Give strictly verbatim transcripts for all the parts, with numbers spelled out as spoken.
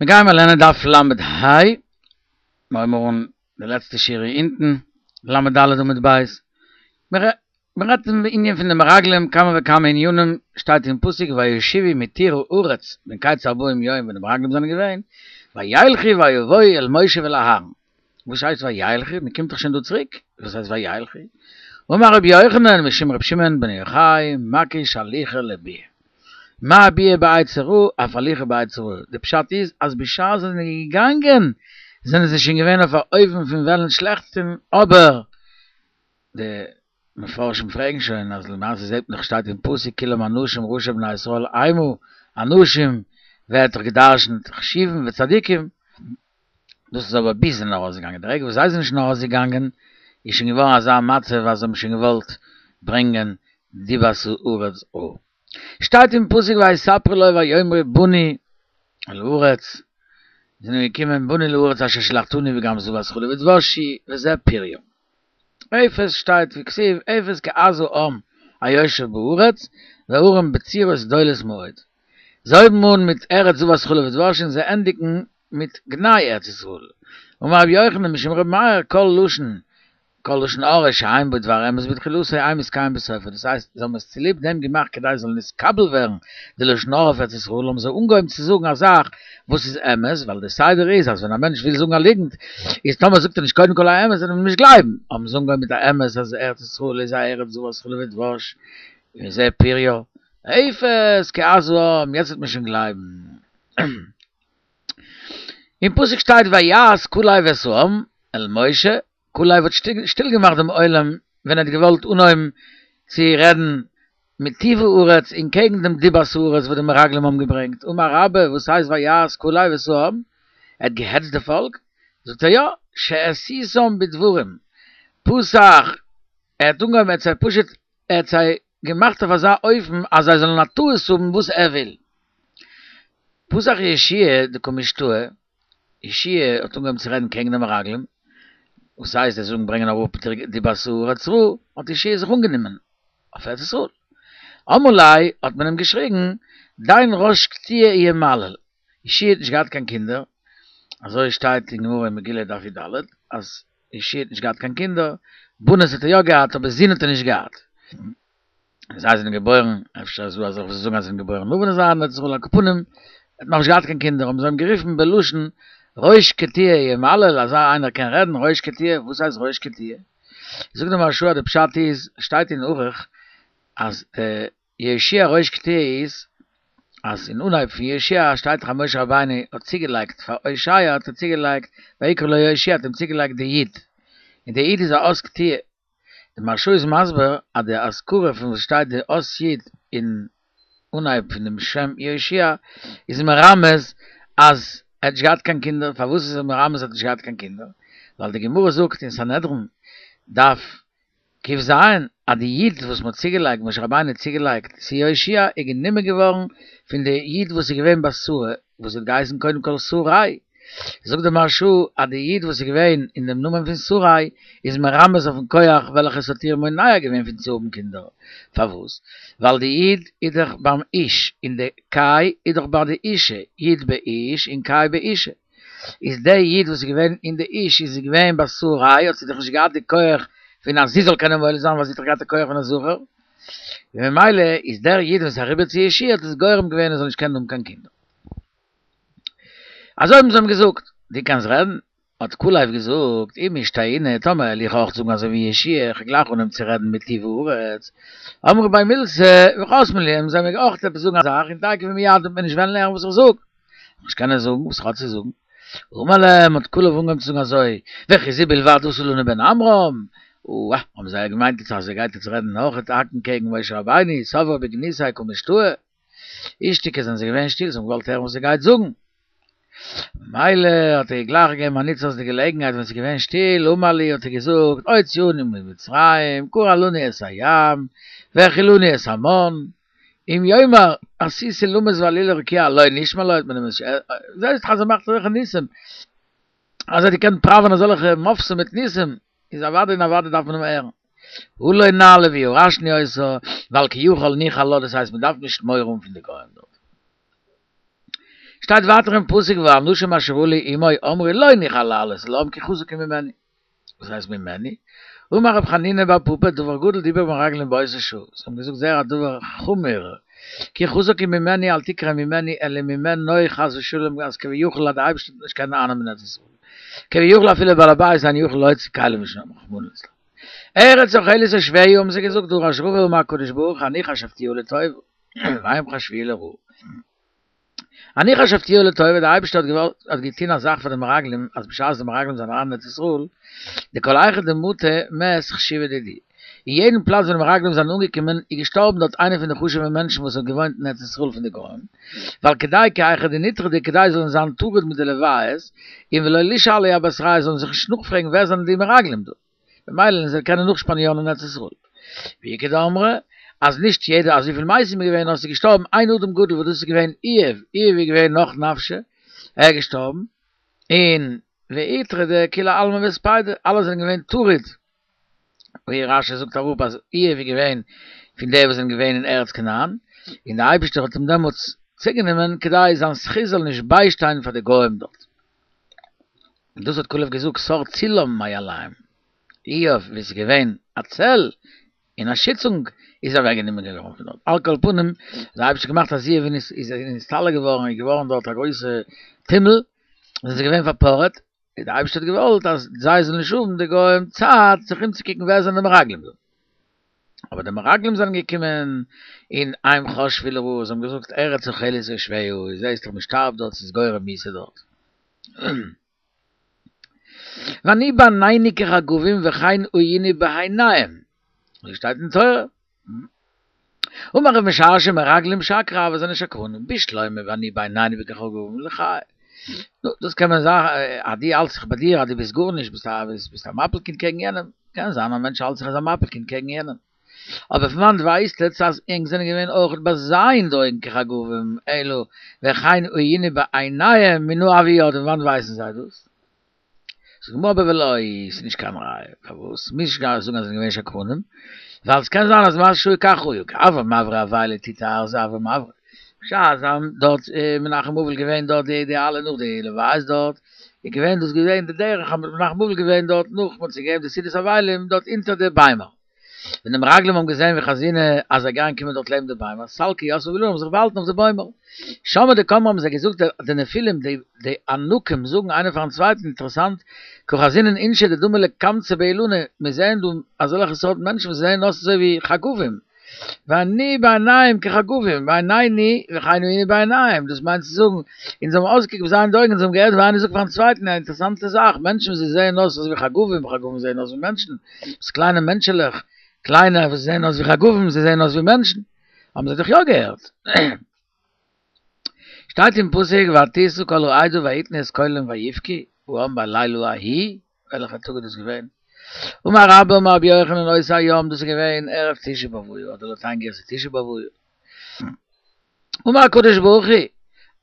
מיר גייען מיר לערנען דף למד ה', מיר הייבן אן די לעצטע שורה אונטן, למד ד' עמוד ב', מיר רעדט אין ענין פון די מרגלים כמה וכמה ענינים, שטייט אין פסוק וישובו מתור הארץ מקץ ארבעים יום ווען די מרגלים זענען געווען, וילכו ויבואו אל משה ואל אהרן, וואס הייסט וילכו? מען קומט דאך שוין דא צוריק, וואס הייסט וילכו? אמר רבי יוחנן משום רבי שמעון בן יוחאי מקיש הליכה לביאה, מה ביאה בעצה רעה אף הליכה בעצה רעה, די פשט איז אז בשעת זיי זענען געגאנגען זענען זיי שוין געווען אויף א אופן פון וועלן שלעכטס טון, אבער די מפרשים פרעגן שוין אז למעשה זעט מען דאך שטייט אין פסוק כולם אנשים ראשי בני ישראל המה, אנשים ווערט דאך גע'דרש'נט חשובים וצדיקים, דאס איז אבער ביז זיי זענען ארויסגעגאנגען, די רגע וואס זיי זענען שוין ארויסגעגאנגען איז שוין געווארן אזא מצב אז זיי האבן שוין געוואלט ברענגען דיבת הארץ רעה. שטייט אין פסוק ויספרו לו ויאמרו באנו אל הארץ, זענען געקומען באנו אל הארץ אשר שלחתנו וגם זבת חלב ודבש היא וזה פריה. אפס שטייט וכתיב אפס כי עז העם היושב בארץ והערים בצורות גדולות מאוד. זיי הויבן אן מיט ארץ זבת חלב ודבש און זיי ענדיגן מיט גנאי ארץ ישראל. אמר רבי יוחנן משום רבי מאיר כל לשון כל לשון הרע שאין בו דבר אמת בתחילתו אין מתקיים בסופו, דאס הייסט זיי האבן עס צוליב דעם געמאכט כדי עס זאל נתקבל ווערן די לשון הרע אויף ארץ ישראל האבן זיי אנגעהויבן צו זאגן א זאך וואס איז אמת, ווייל די סדר איז אז ווען א מענטש וויל זאגן א ליגנט איז טאמער זאגט ער נישט קודם כל א אמת וועט מען אים נישט גלייבן, האבן זיי אנגעהויבן מיט א אמת אז ארץ ישראל איז א ארץ זבת חלב ודבש וזה פריה, אפס כי עז העם, יעצט וועט מען שוין גלייבן. אין פסוק שטייט ויהס כלב את העם אל משה, כלב האט שטיל געמאכט דעם עולם ווען ער האט געוואלט אנהויבן צו רעדן מטוב הארץ און קעגן דעם דיבת הארץ וואס די מרגלים האבן געברענגט, אמר רבה וואס הייסט ויהס כלב את העם? ער האט געהעצט די פאלק? זאגט ער יא, שהסיתם בדברים, פתח, ער האט אנגעהויבן ער האט זיי פשוט ער האט זיי געמאכט אויף אזא אופן אז זיי זאלן א טעות האבן וואס ער וויל. פתח יהושע דקא משתעי, יהושע האט אנגעהויבן צו רעדן קעגן די מרגלים, וואס הייסט זיי זאגן ברענגען אראפ דיבת הארץ רעה, האט יהושע זיך אנגענומען אויף ארץ ישראל. אמרו ליה האט מען אים געשריגן, דין ראש קטיעה ימלל, יהושע האט נישט געהאט קיין קינדער, אזוי שטייט אין גמרא אין מגילה דף י"ד, אז יהושע האט נישט געהאט קיין קינדער, בנות האט ער יא געהאט אבער זין האט ער נישט געהאט. זיי זענען געבוירן, אפשר איז דא אזעלכע וואס זאגן אז זיי זענען געבוירן נאך ווען זיי זענען ארץ ישראל, על כל פנים, ער האט נאכנישט געהאט קיין קינדער, האבן זיי אים גערופן בלשון ראש קטיעה ימלל, אזא איינער קען רעדן, ראש קטיעה, וואס הייסט ראש קטיעה? זאגט דער מהרש"א אז די פשט איז, שטייט אין ערוך אז די יהושע ראש קטיעה איז, אז אין אנהייב פון יהושע שטייט דאך אז משה רבינו האט צוגעלייגט פאר הושע האט ער צוגעלייגט ויקרא לו יהושע האט אים צוגעלייגט די י', און די י' איז א אות קטיעה, די מהרש"א איז מסביר אז די אזכרה פון וואס שטייט די אות י' אין אנהייב פון דעם שם יהושע איז מרמז אז ער האט נישט געהאט קיין קינדער, פארוואס איז ער מרמז אז ער האט נישט געהאט קיין קינדער? ווייל די גמרא זאגט אין סנהדרין דף ק"ז אז די י' וואס מ'האט צוגעלייגט, משה רבינו האט צוגעלייגט צו יהושע איז גענומען געווארן פון די י' וואס איז געווען ביי שרה וואס האט געהייסן קודם כל שרי, זאגט דער מהרש"א אז די י' וואס איז געווען אין דעם נאמען פון שרי איז מרמז אויפן כח וועלכעס האט איר מונע געווען פון צו האבן קינדער, פארוואס? ווייל די י' איז דאך ביים איש און די ק"י איז דאך ביי די אישה, י' באיש און ק"י באישה, איז די י' וואס איז געווען אין די איש איז געווען ביי שרי האט זי דאך נישט געהאט די כח פון אז זי זאל קענען מוליד זיין ווייל זי האט דאך געהאט די כח פון א זכר, ממילא איז דער י' וואס איז אריבער צו יהושע האט עס גורם געווען ער זאל נישט קענען האבן קיין קינדער. אזוי האבן זיי אים געזאגט, דו קענסט רעדן? האט כלב געזאגט, אי משתעינא, טאמער וועל איך אויך זאגן אזוי ווי יהושע, איך וועל גלייך אנהויבן צו רעדן מטוב הארץ, אמרי בי מילתא וחתמי לי, וועלן זיי מיר אויך עפעס זאגן א זאך, און תיכף ומיד וועט מען נישט וועלן הערן וואס איך זאג, וועל איך נישט קענען זאגן וואס איך האב צו זאגן. אמר להם, האט כלב אנגעהויבן צו זאגן אזוי, וכי זו בלבד עשה לנו בן עמרם, אוה, האבן זיי געמיינט אז ער גייט יעצט רעדן אויך האקן קעגן משה רבינו, סברי בגנותיה קא משתעי. אישתיקו זענען זיי געווען שטיל, זיי האבן געוואלט הערן וואס ער גייט זאגן. ממילא האט ער גלייך געגעבן א נוץ אויס די געלעגנהייט ווען ס'איז געווען שטיל, אמר להו האט ער געזאגט, הוציאנו ממצרים, קרע לנו את הים, והאכילנו את המן, אם יאמר עשיתי אולמות ועליתי לרקיע הלא נשמע לו, האט מען אים נישט, זעהסט דאך אז ער מאכט אזעלכע ניסים, אז ער האט געקענט פראווען אזעלכע מופתים מיט ניסים, איז אוודאי און אוודאי דארף מען אים הערן. עלה נעלה וירשנו אותה, ווייל כי יכול נוכל לה, דאס הייסט מען דארף נישט מורא האבן פון די גוים דארט. שטייט ווייטער אין פסוק והאנשים אשר עלו עמו אמרו לא נוכל לעלות אל העם כי חזק הוא ממנו. וואס הייסט ממנו? אמר רב חנינא בר פפא דבר גדול דיברו המרגלים באותה שעה. זיי האבן געזאגט זייער א דבר חמור, כי חזק הוא ממנו אל תקרי ממנו אלא ממנו חס ושלום אז כביכול אז די אייבערשטער וועט נישט קענען אייננעמען ארץ ישראל. כביכול אפילו בעל הבית אינו יכול להוציא כלים משם רחמנא ליצלן. ארץ אוכלת יושביה האבן זיי געזאגט דרש רבא אמר הקדוש ברוך הוא אני חשבתיה לטובה והם חשבוה לרעה. אני חשבתיה לטובה, דער אייבערשטער האט געוואלט האט געטון א זאך פאר די מרגלים אז בשעת די מרגלים זענען אריין אין ארץ ישראל, דכל היכא דמטו מת חשיבא דידהו, אין יעדן פלאץ וואו די מרגלים זענען אנגעקומען איז געשטארבן דארט איינער פון די חשוב'ע מענטשן וואס האט געוואוינט אין ארץ ישראל פון די גוים, ווייל כדי כי היכי דניטרדו כדי זיי זאלן זיין טרוד מיט די לוויות, און ולא לישאלו אבתרייהו זאלן זיך נישט נאכפרעגן ווער זענען די מרגלים דא, ממילא וועלן זיי קענען נאכשפאנירן אין ארץ ישראל. ואיכא דאמרי אז נישט יעדער אזויפיל מתים איז געווען נאר ס'איז געשטארבן איין אדם גדול וואס דאס איז געווען איוב, איוב איז געווען נח נפשיה, ער איז געשטארבן, און ואיטרדו כולי עלמא בהספידא, אלע זענען געווען טרוד, ווי רש"י זאגט אראפ אז איוב איז געווען פון די וואס זענען געווען אין ארץ כנען, און דער אייבערשטער האט אים דעמאלטס צוגענומען כדי זיין זכות זאל נישט ביישטיין פאר די גוים דארט. און דאס האט כלב געזאגט סר צלם מעליהם, איוב ווי עס איז געווען א צל און א שיצונג איז אוועק גענומען געווארן פון דארט, על כל פנים האט דער אייבערשטער געמאכט אז איוב איז נסתלק געווארן איז געווארן דארט א גרויסע טומל, און זיי זענען געווען פארפארעט, און דער אייבערשטער האט געוואלט אז זיי זאלן נישט האבן די גוים צייט זיך אומצוקוקן ווער זענען די מרגלים דא. אבער די מרגלים זענען געקומען און הם חשבו לרעה, זיי האבן געזאגט ארץ אוכלת יושביה, זעסט דאך מען שטארבט דארט, ס'איז גורם מיתה דארט. ואני בעינינו כחגבים וכן היינו בעיניהם, אזוי שטייט אין תורה. אמר רב משרשיא מרגלים שקרי הוו זענען שקרנים, בשלמא ואני בעינינו כחגבים ליחי. נו, דאס קען מען זאגן אז דו האלטסט זיך ביי דיר אז דו ביסט גארנישט, ביסט א ביסט א מפיל קינד קעגן יענעם, קען זיין א מענטש האלט זיך אז א מפיל קינד קעגן יענעם. אבער פון וואנט ווייסט עטץ אז ענק זענען געווען אויך ביי זיי אין די אויגן כחגבים, אלא וכן היינו בעיניהם מנא הוו ידעי, פון וואנט ווייסן זיי דאס? זאגט די גמרא אבער ולא, ס'איז נישט קיין ראיה, פארוואס? מוז נישט זאגן אז זיי זענען געווען שקרנים, ווייל ס'קען זיין אז מה שהיו כך היו, כי הוה מברי אבילי תותי ארזא הוו מברי, בשעת זיי האבן דארט מנחם אבל געווען דארט די די אלע נאך די לוויות דארט, איז געווען דאס געווען די דרך אז מנחם אבל געווען דארט נאך מ'האט זיי געגעבן די סעודת אבלים דארט אונטער די ביימער. ווען די מרגלים האבן געזען וחזינהו אז זיי גייען קומען דארט לעבן די ביימער, סלקי יתבי באילנא האבן זיך באהאלטן אויף די בוימער. שמעו דקאמרי האבן זיי געזאגט די נפילים די די ענקים זאגן איינער פארן צווייטן אינטערעסאנט קא חזינן אינשי דדמו לקמצי באילנא מיר זעען דא אזעלכע סארט מענטשן וואס זעען אויס אזוי ווי חגבים ואני בעיניהם כחגבים בעינינו וכן היינו בעיניהם דאס מיינט צו זאגן אונז האבן אויסגעקוקט ווי זיי אין די אויגן אונז האבן געהערט ווי איינער זאגט פארן צווייטן א אינטערעסאנטע זאך מענטשן וואס זיי זעען אויס אזוי ווי חגבים חגבים זעען אויס ווי מענטשן עפעס קליינע מענטשעלעך קליינע וואס זעען אויס ווי חגבים זיי זעען אויס ווי מענטשן האבן זיי דאך יא געהערט. שטייט אין פסוק ותשא כל העדה ויתנו את קולם ויבכו העם בלילה ההוא, וועלכע טאג איז דאס געווען? אמר רבה אמר רבי יוחנן אותו היום, דאס איז געווען ערב תשעה באב היה, אדער לויט איין גירסא תשעה באב היה. אמר הקדוש ברוך הוא,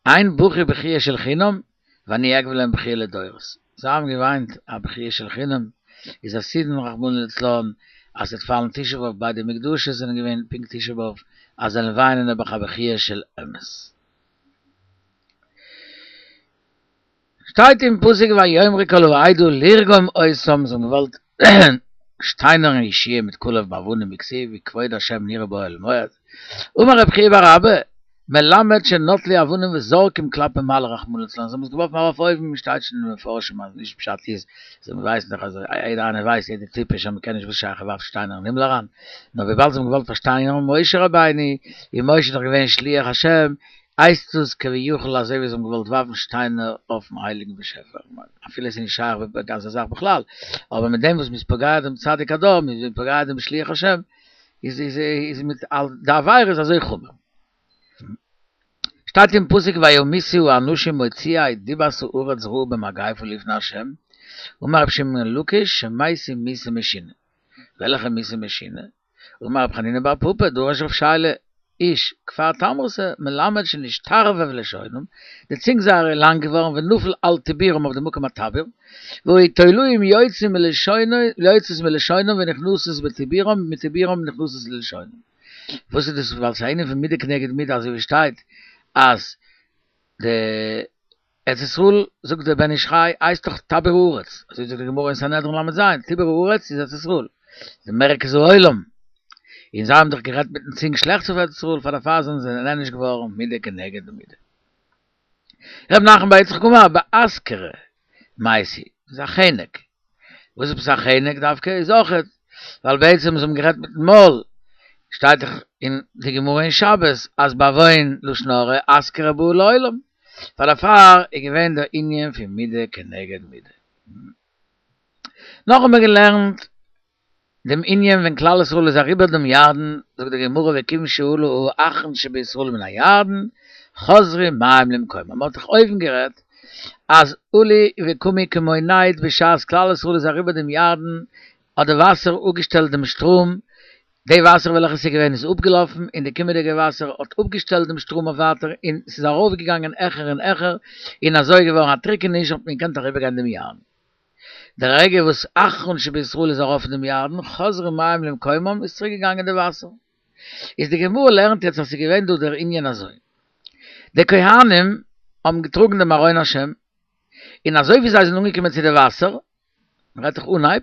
הן בכו בכיה של חינם, ואני אגבה להם בכיה לדורות. זיי האבן געוויינט א בכיה של חינם, איז עתידין רחמנא לצלן אז ס'וועט פאלן תשעה באב ביידע מקדשות זענען געווען פונקט תשעה באב, אז זיי וועלן וויינען נעבעך א בכיה של אמת. שטייט אין פסוק ויאמרו כל העדה לרגום אותם, זיי האבן געוואלט שטיינערן יהושע מיט כלב באבנים וכתיב וכבוד השם נראה באוהל מועד, אמר רב חייא בר אבא, מלמד שנטלו אבנים וזורקים כלפי מעלה רחמנא לצלן, זיי האבן עס געווארפן ארויף אויבן, שטייט שוין אין מפרשים אז נישט פשט איז, זיי ווייסן דאך אז יעדער איינער ווייסט יעדער טיפש אז מען קען נישט וואס שייך ער ווארפט שטיינער אין הימל אריין, נאר וויבאלד זיי האבן געוואלט פארשטיינערן משה רבינו, און משה איז דאך געווען שליח השם, הייסט עס כביכול אזוי ווי זיי האבן געוואלט ווארפן שטיינער אויפן הייליגן באשעפער, אפילו עס איז נישט שייך אזא זאך בכלל, אבער מיט דעם וואס מען איז פוגע דעם צדיק הדור, מען איז פוגע דעם שליח השם, איז איז איז מיט די עבירה איז אזוי חמור. שטייט אין פסוק וימותו האנשים מוציאי דיבת הארץ רעה במגפה לפני ה', אמר רבי שמעון בן לקיש שמתו מיתה משונה. וועלכע מיתה משונה? אמר רב חנינא בר פפא דרש רב שיילא איש כפר תמרתא מלמד שנשתרבב לשונם, די צונג זייערע איז לאנג געווארן ונפל על טבורם אויף די מקום הטבור, והיו תולעים יוצאים מלשונו יוצאות מלשונם ונכנסות בטבורם ומטבורם נכנסות ללשונם. וואס איז דאס ווייל ס'איז א ענין פון מידה כנגד מידה אזוי ווי שטייט אז די ארץ ישראל, זאגט דער בן איש חי, הייסט דאך טבור הארץ, אזוי זאגט די גמרא אין סנהדרין ל"ז, טבור הארץ איז ארץ ישראל, די מרכז העולם, און זיי האבן דאך גערעדט מיטן צונג שלעכטס אויף ארץ ישראל, פאר דערפאר זענען זיי נענש געווארן מידה כנגד מידה. ר' נחמן בר יצחק אמר, באסכרה מייתי, איז א חנק. וואס איז עפעס א חנק דווקא? איז אויכעט ווייל בעצם זיי האבן גערעדט מיטן מויל, שטייט דאך אין די גמרא אין שבת אז בעוון לשון הרע אסכרה באה לעולם, פאר דערפאר איז געווען דער ענין פון מידה כנגד מידה. נאך האבן מיר געלערנט דעם ענין ווען כלל ישראל איז אריבער דעם ירדן, זאגט די גמרא וכיוון שעלה האחרון שבישראל מן הירדן, חזרו מים למקומם. מען האט דאך אויבן גערעדט אז עלו וקמו כמו נד בשעת כלל ישראל איז אריבער דעם ירדן האט די וואסער אפגעשטעלט דעם שטראם, די וואסער וועלכע ס'איז געווען איז אפגעלאפן און די קומענדיגע וואסער האט אפגעשטעלט דעם שטראם אויף ווייטער און ס'איז ארויפגעגאנגען העכער און העכער און אזוי איז געווארן א טריקעניש האט מען געקענט אריבערגיין דעם ירדן. די רגע וואס אחרון שבישראל איז ארויף דעם ירדן חזרו מים למקומם איז צוריק געגאנגען די וואסער. איז די גמרא לערנט יעצט אז ס'איז געווען דא דער ענין אזוי. די כהנים האבן געטראגן דעם ארון השם, און אזוי ווי זיי זענען אנגעקומען צו די וואסער, מ'רעדט דאך אנהייב,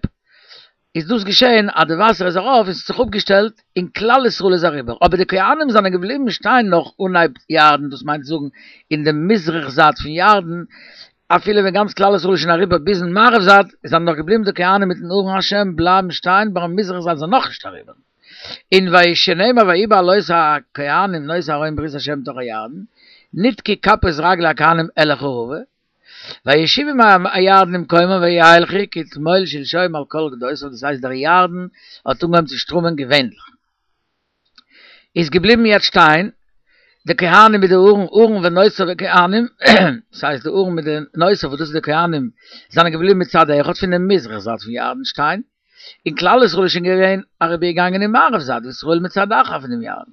איז דאס געשען אז די וואסער איז ארויף און ס'האט זיך אפגעשטעלט און כלל ישראל איז אריבער, אבער די כהנים זענען געבליבן שטיין נאך אנהייב ירדן, דאס מיינט זאגן אין די מזרח זייט פון ירדן, אפילו ווען גאנץ כלל ישראל איז שוין אריבער ביזן מערב זייט, זענען נאך געבליבן די כהנים מיטן ארון השם בלייבן שטיין ביים מזרח זייט זענען נאכנישט אריבער. און ויהי שנאמר ויהי בעלות הכהנים נושאי ארון ברית השם לתוך הירדן, נתקעו כפות רגלי הכהנים אל החרבה, וישובו מי הירדן למקומם וילכו כתמול שלשום על כל גדותיו, דאס הייסט דער ירדן האט אנגעהויבן צו שטראמען געווענליך. איז געבליבן יעצט שטיין די כהנים מיט די ארון, ארון ונושאיו וכהנים, דאס הייסט די ארון מיט די נושאיו וואס דאס איז די כהנים, זענען געבליבן מצד אחד פון די מזרח זייט פון ירדן שטיין, און כלל ישראל איז שוין געווען אריבערגעגאנגען אין מערב זייט, וישראל מצד אחר פון דעם ירדן.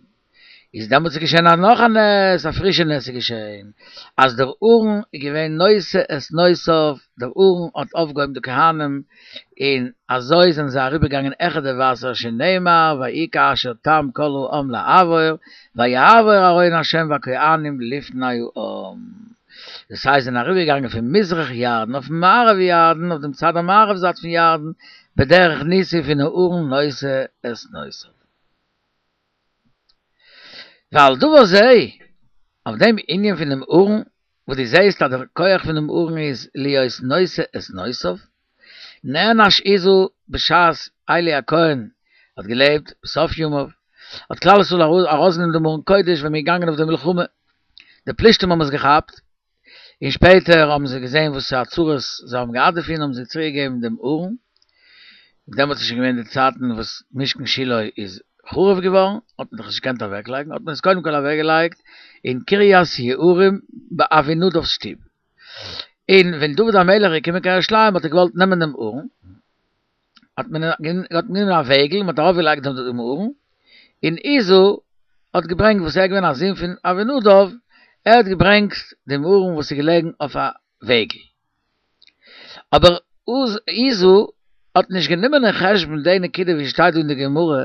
איז דעמאלטס איז געשען א נאך א נס, א פרישע נס איז געשען, אז דער ארון איז געווען נושא את נושאיו, דער ארון האט אויפגעהויבן די כהנים, און אזוי זענען זיי אריבערגעגאנגען העכער די וואסער, שנאמר ויהי כאשר תם כל העם לעבור, ויעבור ארון ה' והכהנים לפני העם. דאס הייסט זענען אריבערגעגאנגען פון מזרח ירדן אויפן מערב ירדן, אויף דעם צד המערב זייט פון ירדן, בדרך ניסי פון ארון נושא את נושאיו. ועל דבר זה, אויף דעם ענין פון דעם ארון, וואס דו זעסט אז דער כח פון דעם ארון איז להיות נושא את נושאיו, נענש עוזא בשעת עלי הכהן האט געלעבט בסוף ימיו, האט כלל ישראל ארויסגענומען דעם ארון קודש ווען מ'איז געגאנגען אויף די מלחמה, די פלישתים האבן עס געכאפט, און שפעטער האבן זיי געזען וואס א צרות זיי האבן געהאט דערפון האבן זיי צוריק געגעבן דעם ארון, דעמאלטס איז שוין געווען די צייטן וואס משכן שילה איז חרוב געווארן, האט מען דאך נישט געקענט אוועק לייגן, האט מען עס קודם כל אוועק געלייגט אין קרית יערים ביי אבינדב'ס שטוב, און ווען דוד המלך איז געקומען קיין ירושלים האט ער געוואלט נעמען דעם ארון, האט מען האט מען גענומען א וועגל און מען האט ארויף געלייגט דעם ארון, און עוזא האט געברענגט וואס ער איז געווען א זון פון אבינדב, ער האט געברענגט דעם ארון וואס איז געלעגן אויף א וועגל. אבער עוזא האט נישט גענומען אין חשבון די נקודה ווי שטייט דא אין די גמרא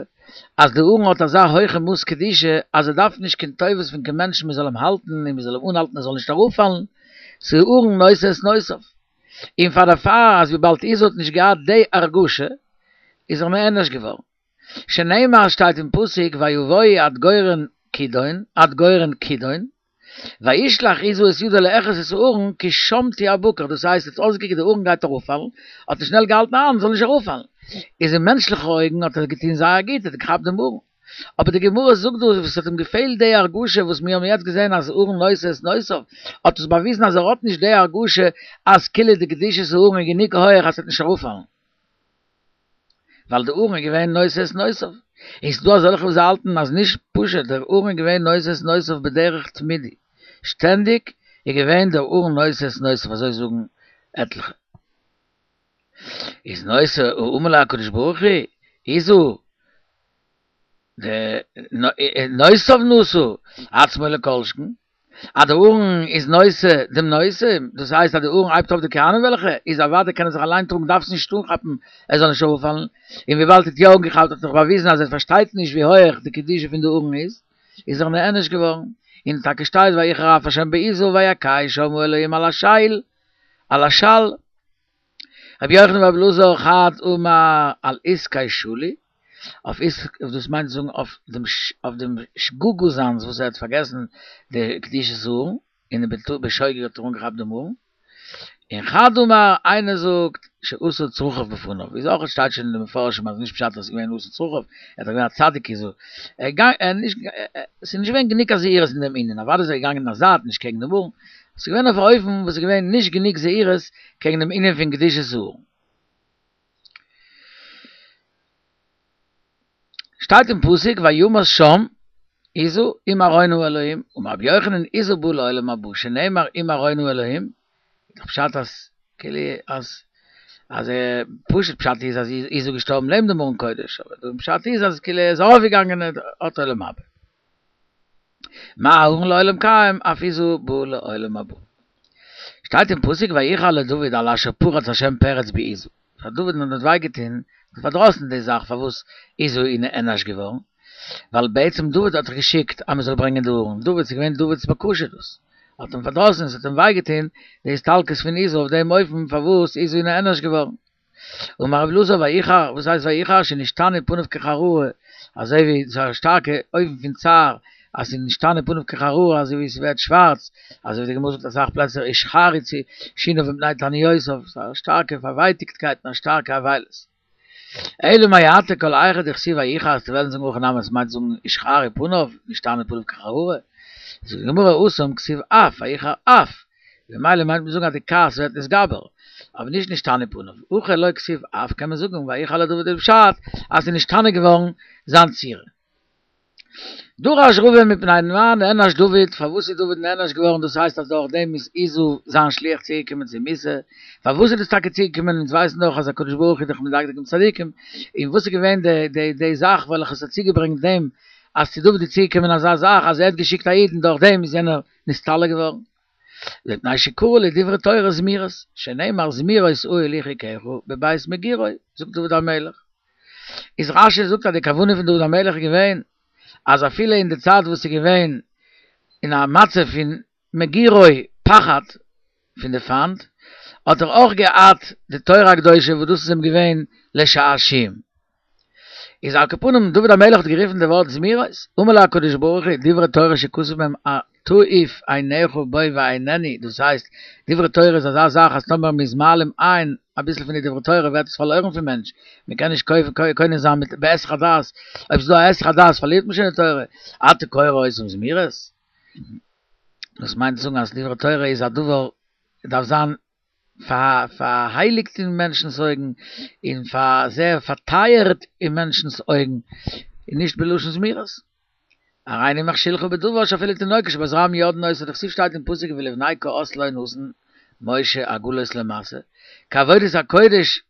אז די ארון האט אזא הויכע מאס קדושה אז ער דארף נישט קיין טובות פון קיין מענטשן מען זאל אים האלטן און מען זאל אים אנהאלטן ער זאל נישט אראפפאלן, ס'איז ארון נושא את נושאיו. און פאר דערפאר אז וויבאלד עוזא האט נישט געהאט די הרגשה איז ער נענש געווארן. שנאמר שטייט אין פסוק ויבואו עד גורן כידון עד גורן כידון וישלח עוזא את ידו לאחוז את הארון כי שמטו הבקר דאס הייסט עס האט אויסגעקוקט די ארון גייט אראפפאלן האט ער שנעל געהאלטן א האנט זאל נישט אראפפאלן איז אין מענטשליכע אויגן האט ער געטון זייער גוט ער האט געכאפט דעם ארון אבער די גמרא זאגט דא וואס האט אים געפעלט די הרגשה וואס מיר האבן יעצט געזען אז ארון נושא את נושאיו האט עס באוויזן אז ער האט נישט די הרגשה אז כאילו די קדושת הארון איז גענוג הויעך אז ס'וועט נישט אראפפאלן ווייל די ארון איז געווען נושא את נושאיו. און ס'דא אזעלכע וואס האלטן אז נישט פשוט דער ארון איז געווען נושא את נושאיו בדרך תמידי, שטענדיג איז געווען דער ארון נושא את נושאיו אזוי זאגן עטליכע. איז נושא אמר לו הקדוש ברוך הוא עוזא נושאיו נשא עצמו לכל שכן, אז דער ארון איז נושא דעם נושא, דאס הייסט אז דער ארון הייבט אויף די כהנים וועלכע איז אוודאי קען ער זיך אליין טראגן דארף עס נישט אנכאפן ער זאל נישט אראפפאלן, און וויבאלד ער האט יא אנגעכאפט האט ער דאך באוויזן אז ער פארשטייט נישט ווי הויעך די קדושה פון די ארון איז, איז ער נענש געווארן, און טאקע שטייט ויחר אף השם בעזו ויכהו שם האלהים על השל על השל. רבי יוחנן ורבי אלעזר חד אמר על עסקי שלי, אויף עסק דאס מיינט זאגן אויף דעם אויף דעם שגגה זיינס וואס ער האט פארגעסן די קדושת הארון, און בשוגג האט ער אנגעכאפט דעם ארון. און חד אמר, איינער זאגט שעשה צרכיו בפניו, איז אויך שטייט שוין אין די מפרשים אז נישט פשט אז עס איז געווען עשה צרכיו, ער איז דאך געווען א צדיק איז ער געגאנגען, עס איז נישט געווען גענוג א זהירות אין דעם ענין, אוודאי איז ער געגאנגען אין א זייט נישט קעגן דעם ארון, עס איז געווען אויף א אופן וואס איז געווען נישט גענוג זהירות קעגן דעם ענין פון קדושת הארון. שטייט אין פסוק וימת שם עוזא עם ארון האלהים, אמר רבי יוחנן עוזא בא לעולם הבא שנאמר עם ארון האלהים, איז דאך פשט אז כאילו אז אז פשוט פשט איז אז עוזא געשטארבן לעבן דעם ארון קודש, אבער דער פשט איז אז כאילו ער איז ארויפגעגאנגען האט עולם הבא. מה ארון לעולם קיים אף עוזא בא לעולם הבא. שטייט אין פסוק ויחר לדוד על אשר פרץ השם פרץ בעוזא. פאר דוד האט וויי געטון, פארדראסן די זאך פארוואס עוזא איז נענש געווארן, ווייל בעצם דוד האט דאך געשיקט אז מען זאל ברענגען די ארון, דוד ס'איז געווען דוד'ס בקשה דאס, האט אים פארדראסן און ס'האט אים וויי געטון די הסתלקות פון עוזא אויף דעם אופן פארוואס עוזא איז נענש געווארן. אמר רבי אלעזר ויחר, וואס הייסט ויחר? שנשתנו פניו כחררה, אזוי ווי ס'איז א שטארקע אופן פון צער, אז ס'איז נשתנו פניו כחררה אזוי ווי ס'ווערט שווארץ, אזוי ווי די גמרא זאגט אסאך פלעצער ישחרו שיניו מפני תעניותיו, ס'איז א שטארקע פארווייטיגטקייט און א שטארקע אבילות. אלא מעתה כל היכא דכתיב ויחר אז וועלן זאגן הכי נמי עס מיינט זאגן ישחרו פניו, נשתנו פניו כחררה, זאגט די גמרא התם כתיב אף ויחר אף, ממילא מיינט מען זאגן אז די כעס ווערט נתגבר, אבער נישט נשתנו פניו, הכא לא כתיב אף קען מען זאגן ויחר לדוד איז פשט אז ס'איז נשתנה געווארן זיין צורה. דרש רבא מפני מה נענש דוד, פארוואס איז דוד נענש געווארן, דאס הייסט אז דורך דעם איז עוזא זיין שליח צוגעקומען צו מיתה, פארוואס איז דאס טאקע צוגעקומען, אונז ווייסן דאך אז הקדוש ברוך הוא איז דאך מדקדק עם צדיקים, און וואס איז געווען די די די זאך וועלכע עס האט צוגעברענגט דעם אז צו דוד איז צוגעקומען אזא זאך אז ער האט געשיקט א איד און דורך דעם איז יענער נסתלק געווארן. מפני שקרא לדברי תורה זמירות, שנאמר זמירות אהיל לחכך בבית מגורי, זאגט דוד המלך. איז רש"י זאגט אז די כוונה פון דוד המלך איז געווען אז אפילו אין די צייט וואס איז געווען אין א מצב פון מגורי פחד פון די פיינט, האט ער אויך געהאט די תורה הקדושה וואס דאס איז אים געווען לשעשועים. איז על כל פנים דוד המלך האט גערופן די ווארט זמירות, אמר לו הקדוש ברוך הוא דברי תורה שכתוב בהם תעיף עיניך בו ואיננו, דאס הייסט דברי תורה איז אזא זאך אז טאמער מ'איז מעלים עין אביסל פון די דברי תורה ווערט עס פארלוירן פון מענטש, מ'קען נישט קונה זיין מיט בהיסח הדעת, אויב ס'איז דא א היסח הדעת פארלירט מען שוין די תורה, אתה קורא אותם זמירות? דאס מיינט צו זאגן אז דברי תורה איז א דבר דארף זיין פארהייליגט אין מענטשנ'ס אויגן, און פאר זייער פארטייערט אין מענטשנ'ס אויגן, און נישט בלשון זמירות. הריני מכשילך בדבר שאפילו תינוקות של בית רבן יודעין אותו, דכתיב שטייט אין פסוק ולבני קהת לא נתן משה עגלות למשא, כי עבודת הקודש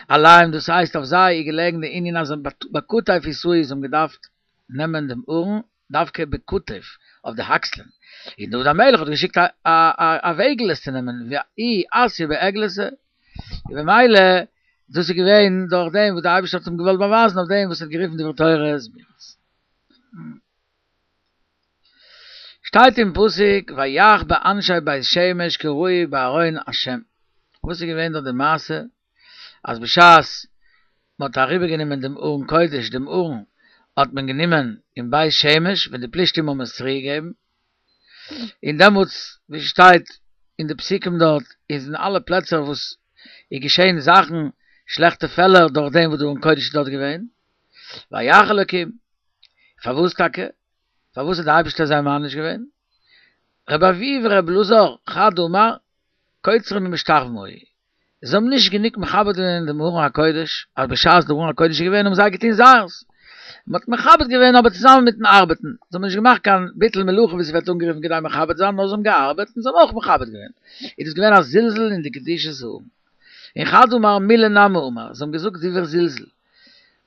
עליהם דאס הייסט אויף זיי איז געלעגן די ענין אז בכתף ישאו זיי האבן געדארפט נעמען דעם ארון דווקא בכתף אויף די אקסלען, און דוד המלך האט געשיקט א א וועגל עס צו נעמען, והוא אתיא בעגלתא, און במילא דאס איז געווען דורך דעם וואס דער אייבערשטער האט אים געוואלט באווייזן אויף דעם וואס ער האט גערופן דברי תורה זמירות. שטייט אין פסוק ויך באנשי בית שמש כי ראו בארון השם, וואס איז געווען דארט די מעשה אז בשעת מען האט אריבער גענומען דעם ארון קודש דעם ארון האט מען גענומען אין בית שמש ווען די פלישתים האבן עס צוריק געגעבן, און דעמאלטס ווי ס'שטייט אין די פסוקים דארט איז אין אלע פלעצער וואס איז געשען זאכן שלעכטע פעלער דורך דעם וואס די ארון קודש איז דארט געווען, ויך אלקים, פארוואס טאקע? פארוואס האט די אייבערשטער זיי מעניש געווען? רבי אבהו ורבי אלעזר חד אמר קוצרים ומשתחווים היו, זיי האבן נישט גענוג מכבד געווען דעם ארון הקודש, אז בשעת דער ארון הקודש איז געווען האבן זיי געטון זייערס, מען האט מכבד געווען אבער צוזאמען מיטן ארבעטן, זיי האבן נישט געמאכט קיין ביטול מלאכה ווי ס'ווערט אנגערופן כדי מכבד זיין, נאר זיי האבן געארבעט און זיי האבן אויך מכבד געווען, איז דאס געווען א זלזול אין די קדושת הארון. און חד אמר מילי נמי אמור, זיי האבן געזאגט דברי זלזול,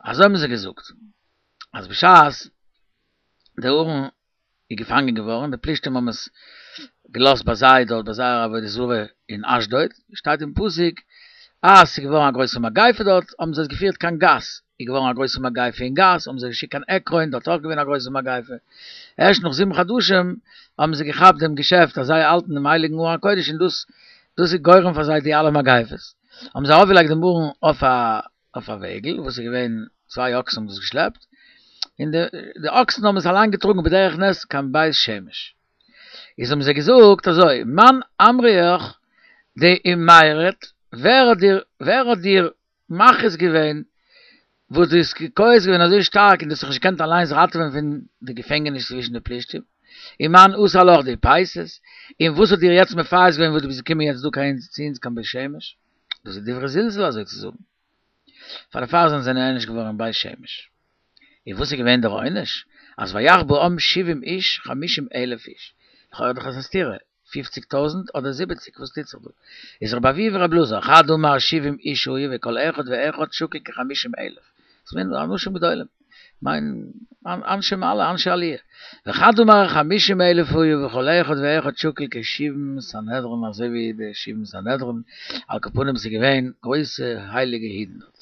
אזוי האבן זיי געזאגט, אז בשעת דער ארון איז געפאנגען געווארן, די פלישתים האבן עס געלאזט ביי זיי דארט ביי זייער עבודה זרה אין אשדוד, שטייט אין פסוק אז ס'איז געווארן א גרויסע מגיפה דארט, האבן זיי עס געפירט קיין גת, איז געווארן א גרויסע מגיפה אין גת, האבן זיי געשיקט קיין עקרון, דארט אויך געווען א גרויסע מגיפה. ערשט נאך זיבן חדשים האבן זיי געכאפט דעם געשעפט אז זיי האלטן דעם הייליגן ארון הקודש און דאס דאס איז גורם פאר זיי די אלע מגיפות. האבן זיי ארויפגעלייגט דעם ארון אויף א אויף א וועגל וואס איז געווען צוויי אקסן האבן דאס געשלעפט, און די די אקסן האבן עס אליין געטראגן בדרך נס קיין בית שמש. איז האבן זיי געזאגט אזוי, מאן אמריך דאימהרת, ווער האט דיר ווער האט דיר מכריז געווען וואס דו האסט כועס געווען אזוי שטארק און דו האסט זיך נישט געקענט אליינס ראטעווען פון די געפענגעניש צווישן די פלישתים, ומאן אסר לך דאיפייסת, און וואס האט דיר יעצט מפייס געווען וואס דו ביסט געקומען יעצט דא קיין צו אונז קיין בית שמש? דאס איז דברי זלזול אזוי צו זאגן. פאר דערפאר זענען זיי נענש געווארן אין בית שמש. און וואס איז געווען דער עונש? אז ויך בעם שבעים איש חמישים אלף איש. לכאורה דאך אזא סתירה, פופציג טויזנט אדער זיבעציג, וואס טוט זיך דא? איז רבי אבהו ורבי אלעזר, חד אמר שבעים איש היו וכל אחד ואחד שקול כחמישים אלף. דאס מיינט אנשים גדולים. מיין אנשי מעלה, אנשי עליה. וחד אמר חמישים אלף היו וכל אחד ואחד שקול כשבעים סנהדרין אזוי ווי די שבעים סנהדרין, על כל פנים ס'איז געווען גרויסע הייליגע אידן דארט.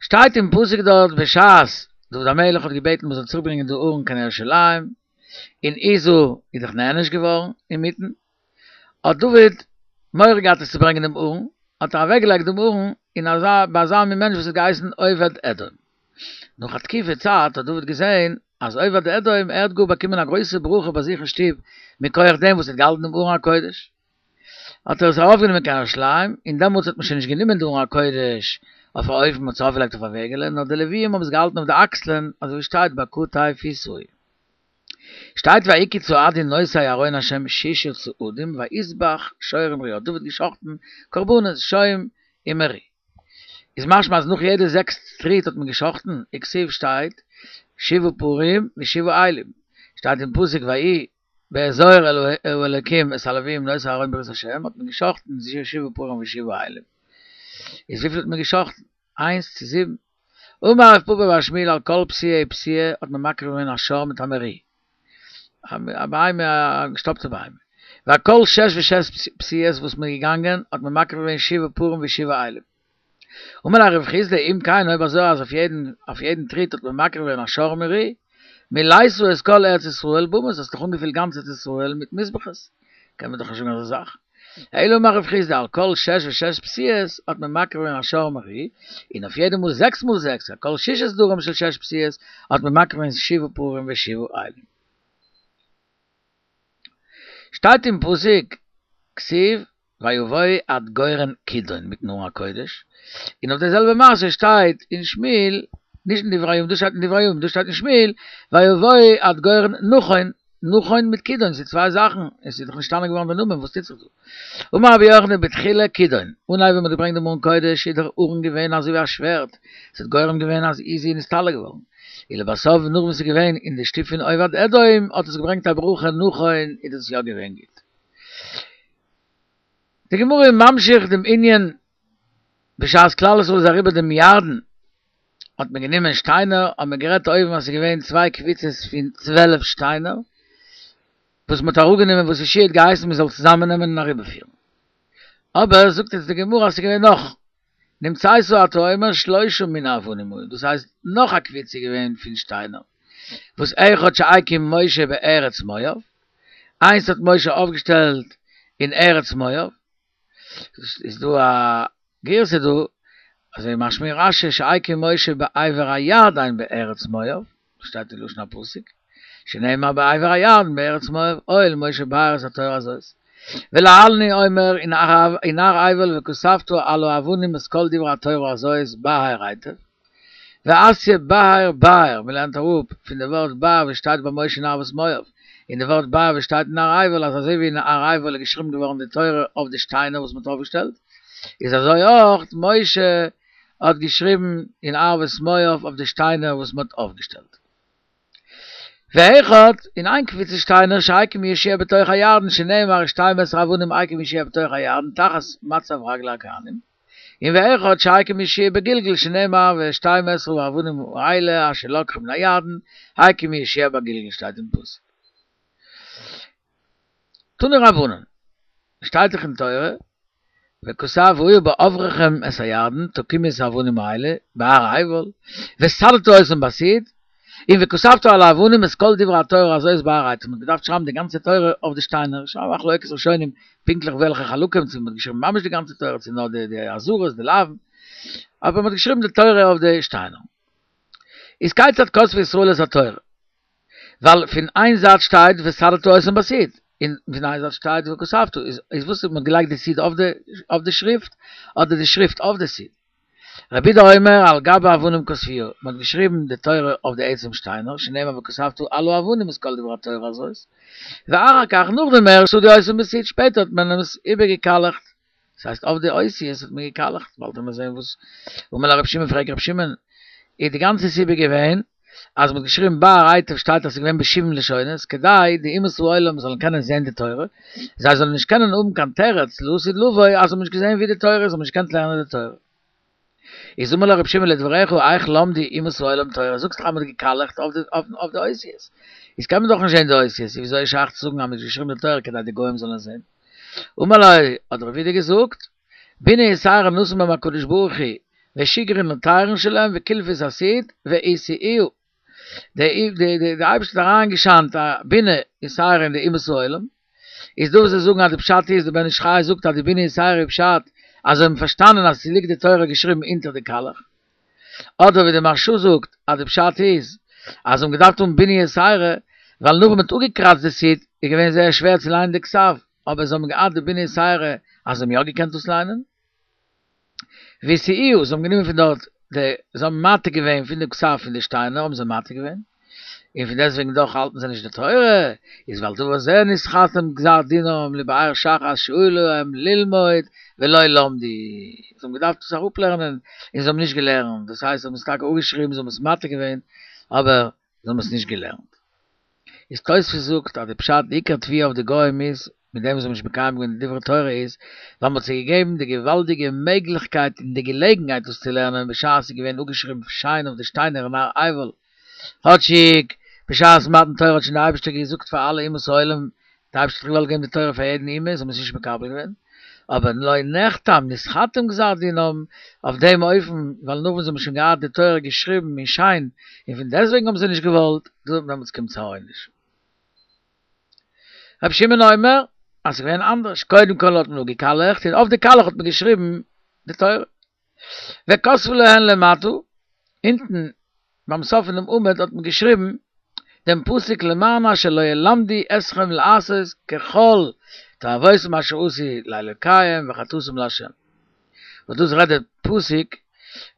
שטייט אין פסוק דארט בשעת דוד המלך האט געבעטן מ'זאל צוריק ברענגען די ארון קיין ירושלים, און עוזא איז דאך נענש געווארן אינמיטן, האט דוד מורא געהאט עס צו ברענגען דעם ארון, האט ער אוועק געלייגט דעם ארון אין אזא ביי אזא מין מענטש וואס האט געהייסן עובד אדום. נאך א תקופה צייט האט דוד געזען אז עובד אדום ער האט גאר באקומען א גרויסע ברכה ביי זיך אין שטוב מכח דעם וואס ער האט געהאלטן דעם ארון הקודש, האט ער עס ארויפגענומען קיין ירושלים, און דעמאלטס האט מען שוין נישט גענומען די ארון הקודש אויף א אופן מ'האט עס ארויפגעלייגט אויף א וועגעלע, נאר די לוויים האבן עס געהאלטן אויף די אקסלען, אזוי ווי שטייט בכתף ישאוהו. שטייט ויהי כי צעדו נושאי ארון השם ששה צעדים ויזבח שור ומרי האט דוד געשחטן קרבנות שום ומרי איז משמע אז נאך יעדע זעקס טריט האט מען געשחטן וכתיב שטייט שבעה פרים ושבעה אילים שטייט אין פסוק ויהי באזור האלקים את הלוויים נושאי ארון ברית השם האט מען געשחטן שבעה פרים ושבעה אילים איז וויפיל האט מען געשחטן? איינס צו זיבן. אמר רב פפא בר שמואל על כל פסיעה ופסיעה האט מען מקריב געווען א שור מיט א מרי, א בהמה א געשטאפטע בהמה, ועל כל שש ושש פסיעות וואס מען איז געגאנגען האט מען מקריב געווען שבעה פרים ושבעה אילים. אמר ליה רב חסדא אם כן אויב אזוי אז אויף יעדן אויף יעדן טריט האט מען מקריב געווען א שור ומרי, מלאת את כל ארץ ישראל במות האסט דאך אנגעפילט גאנץ ארץ ישראל מיט מזבחות, קען מען דאך נישט זאגן אזא זאך. אלא אמר רב חסדא על כל שש ושש פסיעות האט מען מקריב געווען א שור ומרי, און אויף יעדע מאל זעקס מאל זעקס, על כל שישה סדרים של שש פסיעות האט מען מקריב געווען שבעה פרים ושבעה אילים. שטייט אין פסוק, כתיב, ויבואו עד גורן כידון מיטן ארון הקודש, און אויף די זעלבע מעשה שטייט אין שמואל, נישט אין דברי הימים, דא שטייט אין דברי הימים, דא שטייט אין שמואל, ויבואו עד גורן נכון, נכון מיט כידון, ס'איז צוויי זאכן, עס איז דאך נשתנה געווארן די נאמען, וואס טוט זיך דא? אמר רבי יוחנן בתחילה כידון, אנהייב ווען מ'האט געברענגט דעם ארון קודש איז דער ארון געווען אזוי ווי א שווערד, ס'האט גורם געווען אז עוזא איז נסתלק געווארן, ולבסוף נאך וואס ס'איז געווען אין די שטוב פון עובד אדום האט עס געברענגט א ברכה נכון איז דאס יא געווען גוט. די גמרא איז ממשיך דעם ענין, בשעת כלל ישראל איז אריבער דעם ירדן האט מען גענומען שטיינער, האט מען גערעדט אויבן אז ס'איז געווען צוויי קבוצות פון צוועלף שטיינער, וואס מ'האט אראפגענומען וואס יהושע האט געהייסן מ'זאל צוזאמעננעמען און אריבערפירן. אבער זאגט יעצט די גמרא אז ס'איז געווען נאך, נמצאת אתה אומר שלושה מיני אבנים היו, דאס הייסט נאך א קבוצה איז געווען פון שטיינער, וואס אחד שהקים משה בארץ מואב, איינס האט משה אויפגעשטעלט אין ארץ מואב, איז דא א גירסא דא, אזוי משמע אין רש"י שהקים משה בעבר הירדן בארץ מואב, דאס שטייט אין לשון הפסוק, שנאמר בעבר הירדן בארץ מואב, הואיל משה באר את התורה הזאת. ולהלן הוא אומר אין הר עיבל וכתבת על האבנים את כל דברי התורה הזאת בהר היטב. ואתיא בהר באר, מען לערנט אראפ פון די ווארט באר וואס שטייט ביי משה אין ערבות מואב, און די ווארט באר וואס שטייט אין הר עיבל אז אזוי ווי אין הר עיבל איז געשריבן געווארן די תורה אויף די שטיינער וואס מען האט אויפגעשטעלט, איז אזוי אויך משה האט געשריבן אין ערבות מואב אויף די שטיינער וואס מען האט אויפגעשטעלט. ואחד, און איין קבוצה שטיינער שהקים יהושע בתוך הירדן שנאמר שתים עשרה אבנים הקים יהושע בתוך הירדן תחת מצב רגלי הכהנים, און ואחד שהקים יהושע בגלגל שנאמר ושתים עשרה האבנים האלה אשר לקחו מן הירדן הקים יהושע בגלגל שטייט אין פסוק. תנו רבנן, שטייט דאך אין תורה, וכתב והיה בעברכם את הירדן, תקימו את האבנים האלה, בהר העיבל, וסדת אותם בסיד, און וכתבת על האבנים את כל דברי התורה הזאת בהר העצים. מ'האט געדארפט שרייבן די גאנצע תורה אויף די שטיינער, ס'איז א מחלוקת ראשונים פונקטליך וועלכע חלקים, צו מ'האט געשריבן ממש די גאנצע תורה, צו נאר די אזהרות, די לאווין, אבער מ'האט געשריבן די תורה אויף די שטיינער. איז כיצד כתבו ישראל את התורה? ווייל פון איין זייט שטייט וסדת אותם בסיד, און פון איין זייט שטייט וכתבת, איז וואס מ'האט געלייגט די סיד אויף די שריפט, אדער די שריפט אויף די סיד? רבי יהודה אומר על גבי אבנים כתבוה, מען האט געשריבן די תורה אויף די עצם שטיינער, שנאמר וכתבת על האבנים את כל דברי התורה הזאת, ואחר כך נאכדעם ערשט סדו אותם בסיד, שפעטער האט מען עס איבערגעקאלעכט, דאס הייסט אויף די אותיות האט מען געקאלעכט, באלד וועט מען זען וואס, אמר לו רבי שמעון פרעגט רבי שמעון, איז די גאנצע סיבה געווען אז מען האט געשריבן באר היטב שטייט אז ס'איז געווען בשבעים לשונות, כדי די אומות העולם זאלן קענען זען די תורה, זיי זאלן נישט קענען האבן קיין תירוץ לעתיד לבוא אז זיי האבן נישט געזען ווי די תורה איז, זיי האבן נישט געקענט לערנען די תורה. איז אמר לו רבי שמעון לדבריך איך למדו אומות העולם תורה, זאגסט דאך אז מען האט געקאלעכט אויף די אותיות, איז קען מען דאך נישט זען די אותיות, איז וויאזוי איז שייך צו זאגן אז מען האט געשריבן די תורה כדי די גוים זאלן עס זען? אמר לו, האט רבי יהודה געזאגט, בינה יתירה נתן בהם הקדוש ברוך הוא, ושיגרון לתירין שלהם וקילפו את הסיד והשיאוה, די אייבערשטער האט אריינגעשיינט א בינה יתירה אין די אומות העולם, איז דא וואס זיי זאגן אז די פשט איז, די בן איש חי זאגט אז די בינה יתירה איז פשט אז זיי האבן פארשטאנען אז ס'ליגט די תורה געשריבן אונטער די קאלעך, אדער ווי די מהרש"א זאגט אז די פשט איז אז זיי האבן געדארפט האבן בינה יתירה ווייל נאך ווען מ'האט אפגעקראצט די סיד איז געווען זייער שווער צו ליינען די כתב, אבער זיי האבן געהאט די בינה יתירה אז זיי האבן יא געקענט דאס ליינען. והשיאוה, זיי האבן גענומען פון דארט די, זיי האבן מעתיק געווען פון די כתב פון די שטיינער האבן זיי מעתיק געווען, און פון דעסטוועגן דאך האלטן זיי נישט די תורה, איז ועל דבר זה נתחתם גזר דינם לבאר שחת שהיה להם ללמוד ולא למדו, זיי האבן געדארפט עס אראפלערנען און זיי האבן נישט געלערנט, דאס הייסט זיי האבן עס טאקע אפגעשריבן, זיי האבן עס מעתיק געווען, אבער זיי האבן עס נישט געלערנט. איז תוספות זאגט אז די פשט די עיקר תביעה אויף די גוים איז מיט דעם וואס זיי האבן נישט מקיים געווען די דברי תורה איז ווייל מ'האט זיי געגעבן די געוואלדיגע מעגליכקייט און די געלעגנהייט דאס צו לערנען בשעת ס'איז געווען אפגעשריבן שיין אויף די שטיינער אין הר עיבל כאטשיג בשעת מתן תורה האט שוין די אייבערשטער געזאגט פאר אלע אומות העולם די אייבערשטער האט געוואלט געבן די תורה פאר יעדן אומה זיי האבן עס נישט מקבל געווען אבער לא נחתם נתחתם גזר דינם אויף דעם אופן ווייל נאך וואס זיי האבן שוין געהאט די תורה געשריבן און שיין און פון דעסטוועגן האבן זיי נישט געוואלט דעמאלטס קומט צו א עונש. רבי שמעון אומר אז ס'איז געווען אנדערש, קודם כל האט מען אפגעקאלעכט און אויף די קאלעך האט מען געשריבן די תורה. וכתבו להן למטה, אונטן ביים סוף פונעם עמוד האט מען געשריבן דעם פסוק למען אשר לא ילמדו אתכם לעשות ככל תועבותם אשר עשו לאלוקיהם וחטאתם לה'. וואס דאס רעדט דער פסוק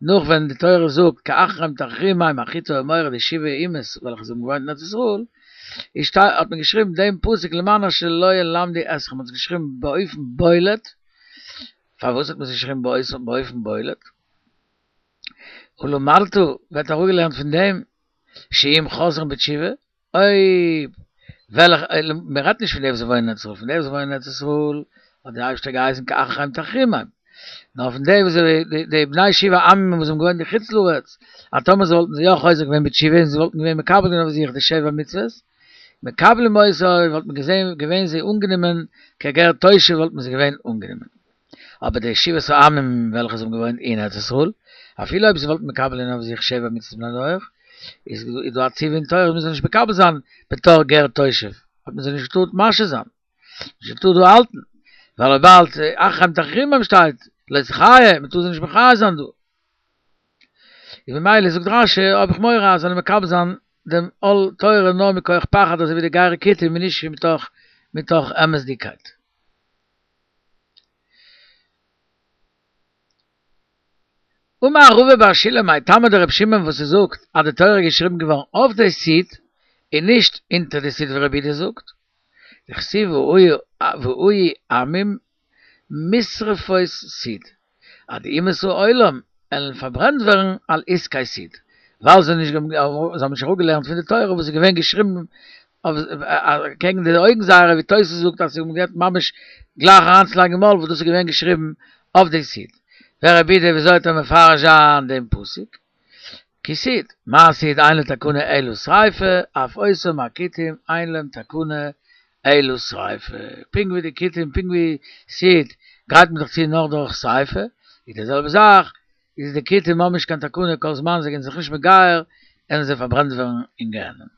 נאך ווען די תורה זאגט כי החרם תחרימם החתי האמורי די שבעה אומות וועלכע זיי האבן געוואוינט אין ארץ ישראל, איז שטייט האט מען געשריבן דעם פסוק למען אשר לא ילמדו אתכם מען האט עס געשריבן באופן בולט, פארוואס האט מען עס געשריבן באופן בולט? ולמדת ווערט אראפגעלערנט פון דעם שאם חוזרים בתשובה, אויב וועלכע, מען רעדט נישט פון די וואס וואוינען אין ארץ ישראל, פון די וואס וואוינען אין ארץ ישראל האט דער אייבערשטער געהייסן כי החרם תחרימם, נאר פון די וואס די בני שבעה עמים וואס האבן געוואוינט אין חוץ לארץ, אז טאמער זיי וואלטן זיי יא חוזר געווען בתשובה און זיי וואלטן געווען מקבל געווען אויף זיך די שבע מצוות, מקבלים אותו, וואלט מען געזען געווען זיי אנגענומען כגר תושב וואלט מען זיי געווען אנגענומען. אבער די שבעת העמים וועלכע זיי האבן געוואוינט אין ארץ ישראל, אפילו אויב זיי וואלטן מקבל געווען אויף זיך שבע מצוות בני נח, איז דא א ציווי אין תורה אז מען זאל נישט מקבל זיין בתור גר תושב, האט מען זיי נישט געטארט משהה זיין, נישט געטארט דא האלטן, ווייל וויבאלד החרם תחרימם שטייט, לא תחיה, מען טאר זיי נישט מחיה זיין דא. און ממילא זאגט רש"י האב איך מורא אז זיי זאלן מקבל זיין דעם עול תורה נאר מכח פחד אזוי ווי די גרי כותים און נישט מתוך מתוך אמת'דיגקייט. אמר רבא בר שילא מאי טעמא דרבי שמעון וואס ער זאגט אז די תורה איז געשריבן געווארן אויף די סיד און נישט אונטער די סיד ווי רבי יהודה זאגט, דכתיב והיו עמים משרפות סיד, אז די אומות העולם עלן פארברענט ווערן על עסקי סיד, ווייל זיי האבן נישט אראפגעלערנט פון די תורה וואס איז געווען געשריבן קעגן די אויגן זייערע ווי תוס' זאגט אז זיי האבן געהאט ממש גלייך אריינצולייגן אין מויל וואס דאס איז געווען געשריבן אויף די סיד. ורבי יהודה וויאזוי וועט ער מפרש זיין דעם פסוק? כי סיד, מה סיד אין לו תקנה אלא שריפה, אף אותם הכותים אין להם תקנה אלא שריפה. פונקט ווי די כותים, פונקט ווי סיד גרייט מען זיך צו נאר דורך שריפה, איז די זעלבע זאך, איז די כותים האבן נישט קיין תקנה כל זמן זיי זענען זיך נישט מגייר, וועלן זיי פארברענט ווערן אין גיהנום.